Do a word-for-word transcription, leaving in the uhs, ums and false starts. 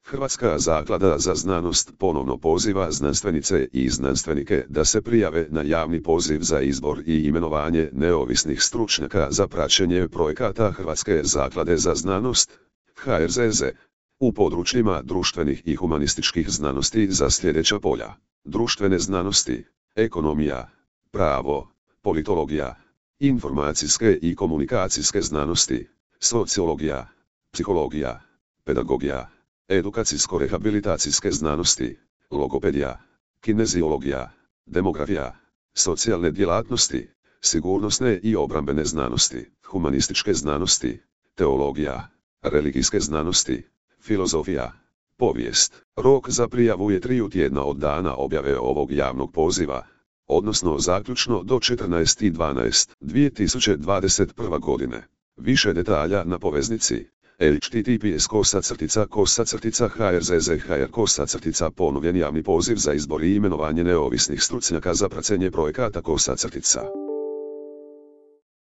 Hrvatska zaklada za znanost ponovno poziva znanstvenice i znanstvenike da se prijave na javni poziv za izbor i imenovanje neovisnih stručnjaka za praćenje projekata Hrvatske zaklade za znanost, H R Z Z, u područjima društvenih i humanističkih znanosti za sljedeća polja: društvene znanosti, ekonomija, pravo, politologija, informacijske i komunikacijske znanosti, sociologija, psihologija, pedagogija, edukacijsko-rehabilitacijske znanosti, logopedija, kineziologija, demografija, socijalne djelatnosti, sigurnosne i obrambene znanosti, humanističke znanosti, teologija, religijske znanosti, filozofija, povijest. Rok za prijavu je tri tjedna od dana objave ovog javnog poziva, odnosno zaključno do četrnaesti dvanaesti dvije tisuće dvadeset prve. godine. Više detalja na poveznici H T T P S kosa crtica kosa crtica H R Z Z H R kosa crtica ponovljen javni poziv za izbor i imenovanje neovisnih stručnjaka za praćenje projekata kosa crtica.